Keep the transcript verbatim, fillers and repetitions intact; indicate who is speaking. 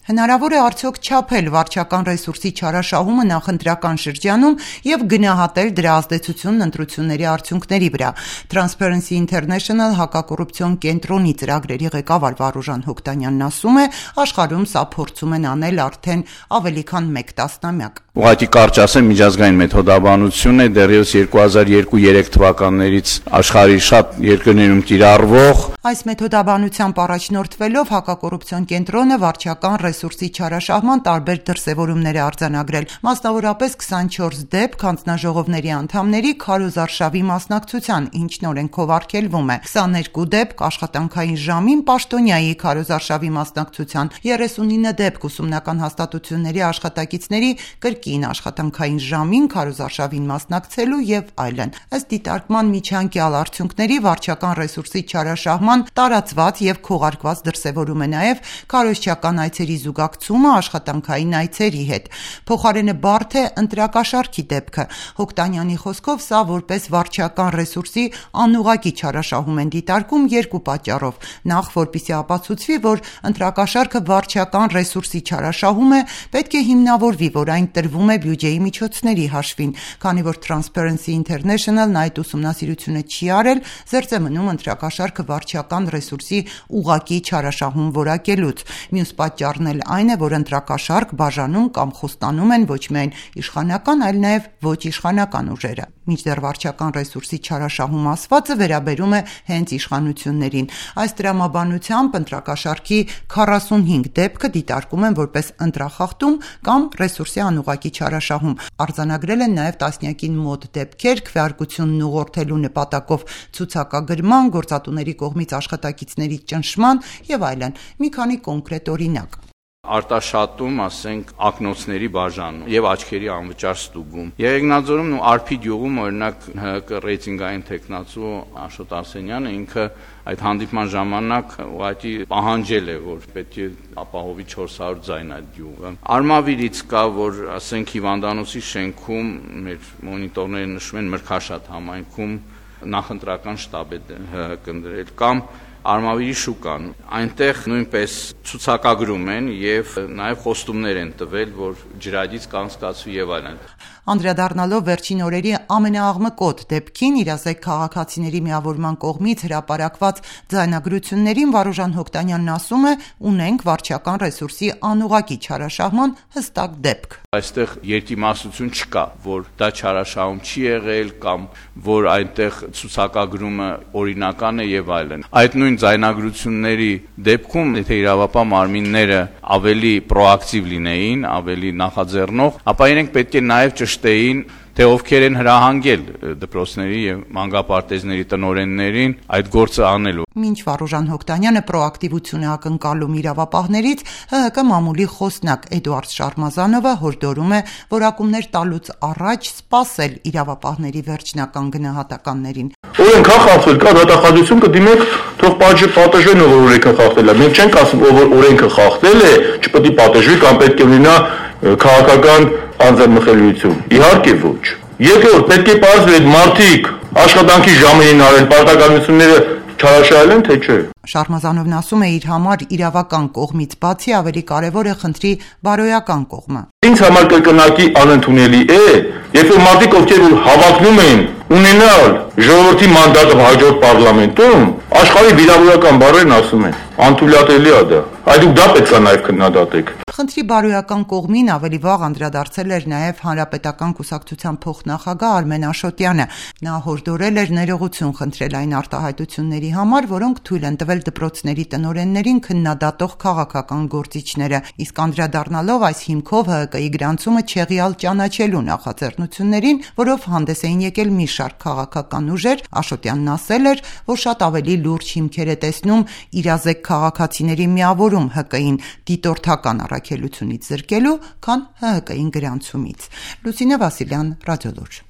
Speaker 1: Հնարավոր է արդյոք չափել վարչական ռեսուրսի չարաշահումը նախընտրական շրջանում և գնահատել դրա ազդեցությունն ընտրությունների արդյունքների վրա։ Transparency International հակակոռուպցիոն կենտրոնի ծրագրերի ղեկավար Վարուժան Հոկտանյանն ասում է, աշխարհում սա փորձում են անել արդեն ավելի քան մեկ տասնամյակ։
Speaker 2: Ուղղակի կարճ ասեմ, միջազգային մեթոդաբանություն է, դեռևս երկու հազար երկու երեք թվականներից աշխարհի շատ երկրներում կիրառվող։
Speaker 1: Այս մեթոդաբանությամբ առաջնորդվելով հակակոռուպցիոն կենտրոնը վարչական ռեսուրսի չարաշահման տարբեր դրսևորումներ է արձանագրել, մասնավորապես քսանչորս դեպք հանձնաժողովների անդամների քարոզարշավի մասնակցության, ինչն օրենքով արգելվում է, քսաներկու դեպք աշխատանքային ժամին պաշտոնյայի քարոզարշավի մասնակցության, երեսունինը դեպք ուսումնական հաստատությունների աշխատակիցների կրկին աշխատանքային ժամին քարոզարշավին մասնակցելու եւ այլն։ Ըստ դիտարկման միջանկյալ արդյունքների վարչական ռեսուրսի չարաշահման տարածված եւ քողարկված դրսևորում է նաեւ քարոզչական այցերի զուգակցումը աշխատանքային այցերի հետ։ Փոխարենը բարդ է ընտրակաշառքի դեպքը։ Հոկտանյանի խոսքով սա որպես վարչական ռեսուրսի անուղղակի չարաշահում են դիտարկում երկու պատճառով։ Նախ, որպեսզի ապացուցվի, որ ընտրակաշառքը վարչական ռեսուրսի չարաշահում է, պետք է հիմնավորվի, որ այն տրվում է բյուջեի միջոցների հաշվին, քանի որ Transparency International-ն այդ ուսումնասիրությունը չի արել, զերծ է մնում ընտրակաշառքը վարչական ռեսուրսի ուղղակի չարաշահում որակելուց։ Մյուս պատճառն էլ այն է, որ ընտրակաշառք բաժանում կամ խոստանում են ոչ միայն իշխանական, այլ նաև ոչ իշխանական ուժերը։ Մինչդեռ վարչական ռեսուրսի չարաշահում ասվածը վերաբերում է հենց իշխանություններին։ Այս տրամաբանությամբ ընտրակաշառքի քառասունհինգ դեպքը դիտարկում են որպես ընտրախախտում կամ ռեսուրսի անուղղակի չարաշահում։ Արձանագրել են նաև տասնյակին մոտ դեպքեր քվեարկությունն ուղղորդելու նպատակով ցուցակագրման, գործատուների կողմից աշխատակիցների ճնշման եւ այլն։ Մի քանի կոնկրետ օրինակ։
Speaker 2: Արտաշատում, ասենք, ակնոցների բաժանում եւ աչքերի անվճար ստուգում։ Եղեգնաձորում ու Արփի գյուղում օրինակ ՀՀԿ ռեյտինգային տեխնացու Աշոտ Արսենյանը ինքը այդ հանդիպման ժամանակ ուղղակի պահանջել է, որ պետք է ապահովի չորս հարյուր ձայն այդ գյուղը։ Արմավիրից կա, որ ասենք Հիվանդանոցի շենքում մեր մոնիտորները նշում են Մրգաշատ համայնքում նախընտրական շտաբ է ՀՀԿ-ն դրել կամ Արմավիրի շուկան, այնտեղ նույնպես ցուցակագրում են եւ նաեւ խոստումներ են տվել, որ ջրագից կանցկացվի եւ այլն։
Speaker 1: Անդրադառնալով վերջին օրերի ամենաաղմկոտ դեպքին իրազեկ քաղաքացիների միավորման կողմից հրապարակված ձայնագրություններին Վարուժան Հոկտանյանն ասում է, ունենք վարչական ռեսուրսի անուղղակի չարաշահման հստակ դեպք։
Speaker 2: Այստեղ երկիմաստություն չկա, որ դա չարաշահում չի եղել կամ որ այնտեղ ցուցակագրումը օրինական է եւ այլն։ Այդ նույն ձայնագրությունների դեպքում, եթե իրավապահ մարմինները ավելի պրոակտիվ լինեին, ավելի նախաձեռնող, ապա իրենք պետք է նաեւ ճշտեին, թե ովքեր են հրահանգել դպրոցների եւ մանկապարտեզների տնօրեններին այդ գործը անելու։
Speaker 1: Մինչ Վարուժան Հոկտանյանը պրոակտիվություն է ակնկալում իրավապահներից, ՀՀԿ մամուլի խոսնակ Էդուարդ Շարմազանովը հորդորում է որակումներ տալուց առաջ սպասել իրավապահների վերջնական գնահատականներին։
Speaker 3: Օրենք է խախտվել, կա դատախազություն կդիմեք, թող պատժեն ով օրենքը խախտել է։ Մենք չենք ասում ով օրենքը խախտել է, չպետք է պատժվի կամ պետք է ունենա քաղաքական անձնմխելիություն։ Իհարկե ոչ։ Երկրորդ, պետք է պարզվի այդ մարդիկ աշխատանքի ժամերին արել պարտականությունները չարաշահել են, թե չէ։
Speaker 1: Շարմազանովն ասում է, իր համար իրավական կողմից բացի ավելի կարևոր է խնդրի բարոյական կողմը։
Speaker 3: Ինձ համար կրկնակի անընդունելի է, երբ որ մարդիկ ովքեր հավակնում են ունենալ ժողովրդի մանդատը հաջորդ պարլամենտում, աշխարհի վիրավորական բառերն ասում են, անթույլատելի է դա։ Այդ դուք դա պետք է նաև քննադատեք։
Speaker 1: Խնդրի բարոյական կողմին ավելի վաղ անդրադարձել էր նաև Հանրապետական կուսակցության փոխնախագահ Արմեն Աշոտյանը։ Նա հորդորել էր ներողություն խնդրել այն արտահայտությունների համար, որոնք թույլ են տվել դպրոցների տնօրեններին քննադատող քաղաքական գործիչները, իսկ անդրադառնալով այս հիմքով ՀՀԿ-ի գրանցումը չեղյալ ճանաչելու նախաձեռնություններին, որով հանդես էին եկել մի շարք քաղաքական ուժեր, Աշոտյանն ասել էր, որ շատ ավելի լուրջ հիմքեր է տեսնում իրազեկ քաղաքացիների միավորում ՀԿ-ին դիտորդական առաքելությունից զրկելու, քան ՀՀԿ-ին գրանցումից։ Լուսինե Վասիլյան, Ռադիոլուր։